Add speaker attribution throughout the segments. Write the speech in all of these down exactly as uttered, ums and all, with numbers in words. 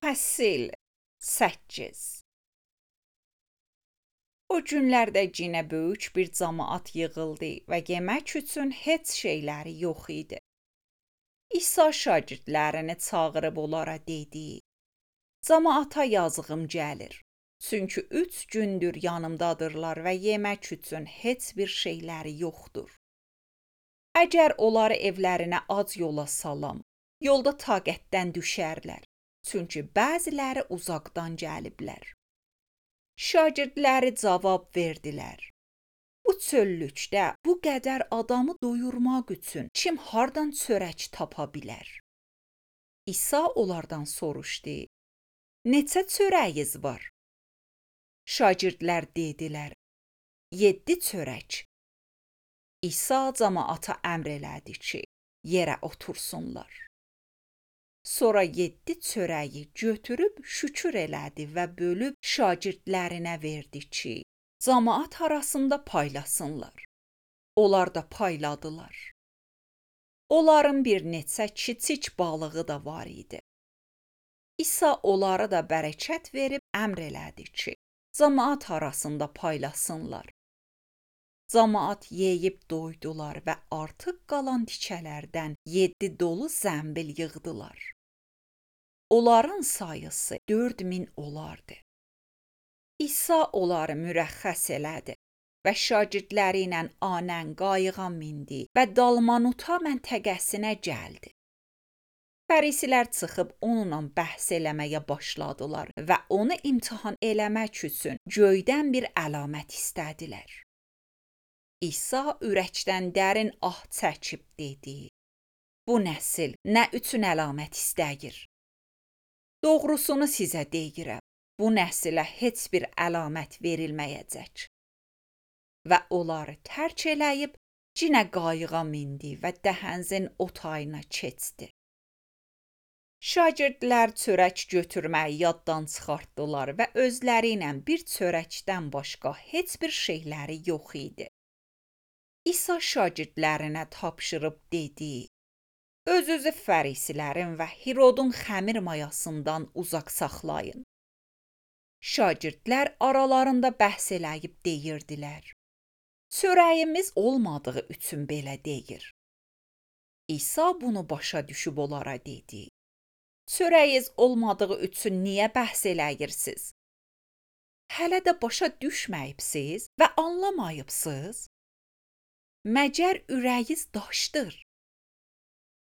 Speaker 1: Fəsil səkkiz. O günlərdə yenə böyük bir cəmaət yığıldı və yemək üçün heç şeyləri yox idi. İsa şagirdlərini çağırıb onlara dedi: Cəmaata yazığım gəlir, çünki üç gündür yanımdadırlar və yemək üçün heç bir şeyləri yoxdur. Əgər onları evlərinə ac yola salam, yolda taqətdən düşərlər, çünki bəziləri uzaqdan gəliblər. Şagirdləri cavab verdilər: Bu çöllükdə bu qədər adamı doyurmaq üçün kim hardan çörək tapa bilər? İsa onlardan soruşdu: Neçə çörəyiniz var? Şagirdlər dedilər: Yeddi çörək. İsa cəmaata əmr elədi ki, yerə otursunlar. Sonra yeddi çörəyi götürüb şükür elədi və bölüb şagirdlərinə verdi ki, cəmaət arasında paylasınlar. Onlar da payladılar. Onların bir neçə kiçik balığı da var idi. İsa onlara da bərəkət verib əmr elədi ki, cəmaət arasında paylasınlar. Cəmaət yeyib doydular və artıq qalan tikələrdən yeddi dolu zəmbil yığdılar. Onların sayısı dörd min olardı. İsa onları mürəxxəs elədi və şagirdləri ilə anən qayığa mindi və Dalmanuta məntəqəsinə gəldi. Fərisilər çıxıb onunla bəhs eləməyə başladılar və onu imtahan eləmək üçün göydən bir əlamət istədilər. İsa ürəkdən dərin ah çəkib dedi: Bu nəsil nə üçün əlamət istəyir? Doğrusunu sizə deyirəm, bu nəsilə heç bir əlamət verilməyəcək. Və onları tərk eləyib yenə qayığa mindi və dəhənzin o tayına keçdi. Şagirdlər çörək götürməyi yaddan çıxartdılar və özləri ilə bir çörəkdən başqa heç bir şeyləri yox idi. İsa şagirdlərinə tapşırıb dedi: Öz-özü fərisilərin və Hirodun xəmir mayasından uzaq saxlayın. Şagirdlər aralarında bəhs eləyib deyirdilər: Çörəyimiz olmadığı üçün belə deyir. İsa bunu başa düşüb onlara dedi: Çörəyiniz olmadığı üçün niyə bəhs eləyirsiniz? Hələ də başa düşməyibsiz və anlamayıbsız? Məgər ürəyiniz daşdır?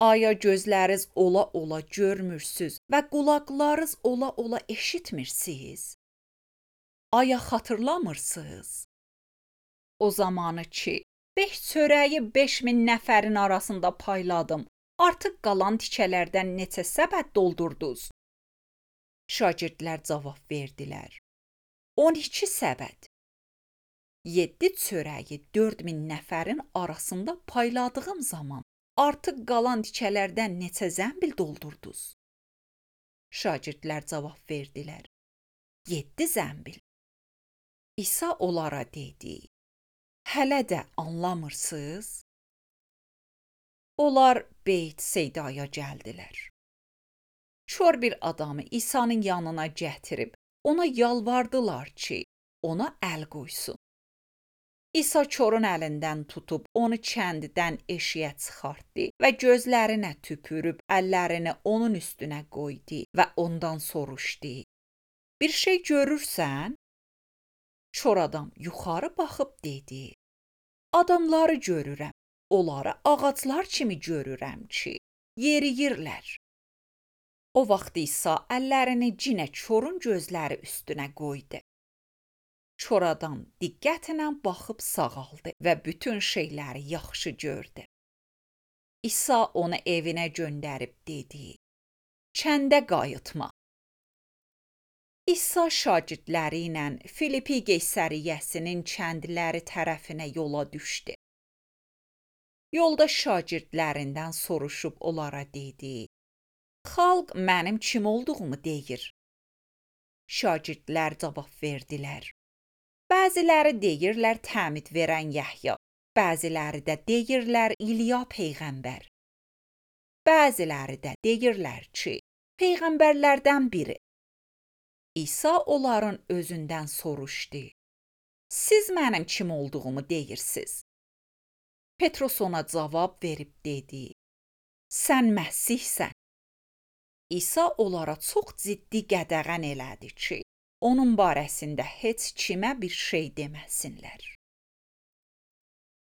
Speaker 1: Aya gözləriniz ola-ola görmürsüz və qulaqlarınız ola-ola eşitmirsiniz? Aya xatırlamırsınız? O zamanı ki, beş çörəyi beş min nəfərin arasında payladım, artıq qalan tikələrdən neçə səbət doldurdunuz? Şagirdlər cavab verdilər: on iki səbət. Yeddi çörəyi dörd min nəfərin arasında payladığım zaman artıq qalan tikələrdən neçə zəmbil doldurdunuz? Şagirdlər cavab verdilər: Yeddi zəmbil. İsa onlara dedi: Hələ də anlamırsınız? Onlar Beyt-Seydaya gəldilər. Kör bir adamı İsa'nın yanına gətirib ona yalvardılar ki, ona əl qoysun. İsa körün əlindən tutub onu kəndidən eşiyə çıxartdı və gözlərinə tüpürüb əllərini onun üstünə qoydu və ondan soruşdu: Bir şey görürsən? Kör adam yuxarı baxıb dedi: Adamları görürəm, onları ağaclar kimi görürəm ki, yeriyirlər. O vaxt İsa əllərini yenə körün gözləri üstünə qoydu. Kör adam diqqətlə baxıb sağaldı və bütün şeyləri yaxşı gördü. İsa onu evinə göndərib dedi: Kəndə qayıtma. İsa şagirdləri ilə Filipi Qeysəriyyəsinin kəndləri tərəfinə yola düşdü. Yolda şagirdlərindən soruşub onlara dedi: Xalq mənim kim olduğumu deyir. Şagirdlər cavab verdilər: Bəziləri deyirlər təmid verən Yəhya, bəziləri də deyirlər İliya peyğəmbər. Bəziləri də deyirlər ki, peyğəmbərlərdən biri. İsa onların özündən soruşdu. Siz mənim kim olduğumu deyirsiz? Petros ona cavab verib dedi. Sən Məsihsən. İsa onlara çox ciddi qədəğən elədi ki, onun barəsində heç kimə bir şey deməsinlər.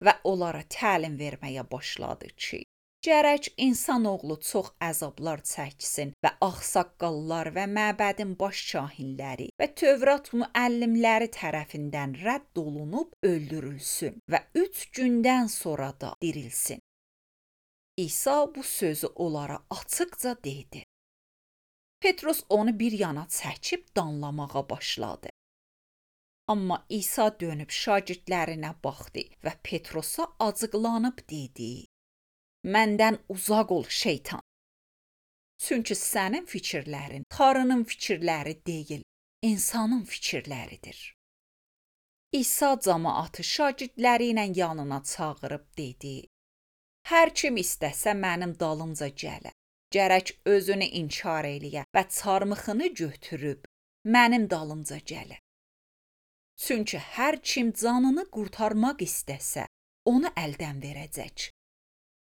Speaker 1: Və onlara təlim verməyə başladı ki, gərək insanoğlu çox əzablar çəksin və ağsaqqallar və məbədin baş kahinləri və Tövrat müəllimləri tərəfindən rədd olunub öldürülsün və üç gündən sonra da dirilsin. İsa bu sözü onlara açıqca dedi. Petros onu bir yana çəkib danlamağa başladı. Amma İsa dönüb şagirdlərinə baxdı və Petrosa acıqlanıb dedi. Məndən uzaq ol şeytan. Çünki sənin fikirlərin Tanrının fikirləri deyil, insanın fikirləridir. İsa cəmaatı şagirdləri ilə yanına çağırıb dedi. Hər kim istəsə mənim dalımca gələ. Gərək özünü inkar eləyə və çarmıxını götürüb mənim dalımca gələ. Çünki hər kim canını qurtarmaq istəsə, onu əldən verəcək.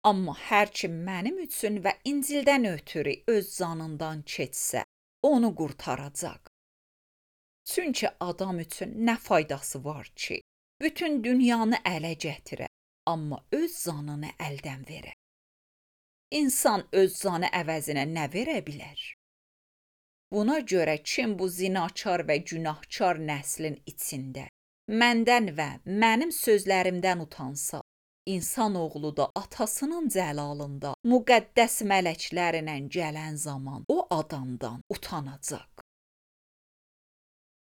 Speaker 1: Amma hər kim mənim üçün və İncildən ötürü öz canından keçsə, onu qurtaracaq. Çünki adam üçün nə faydası var ki, bütün dünyanı ələ gətirə, amma öz canını əldən verə. İnsan öz canı əvəzinə nə verə bilər? Buna görə kim bu zinakar və günahkar nəslin içində məndən və mənim sözlərimdən utansa, insanoğlu da atasının cəlalında müqəddəs mələklərlə gələn zaman o adamdan utanacaq.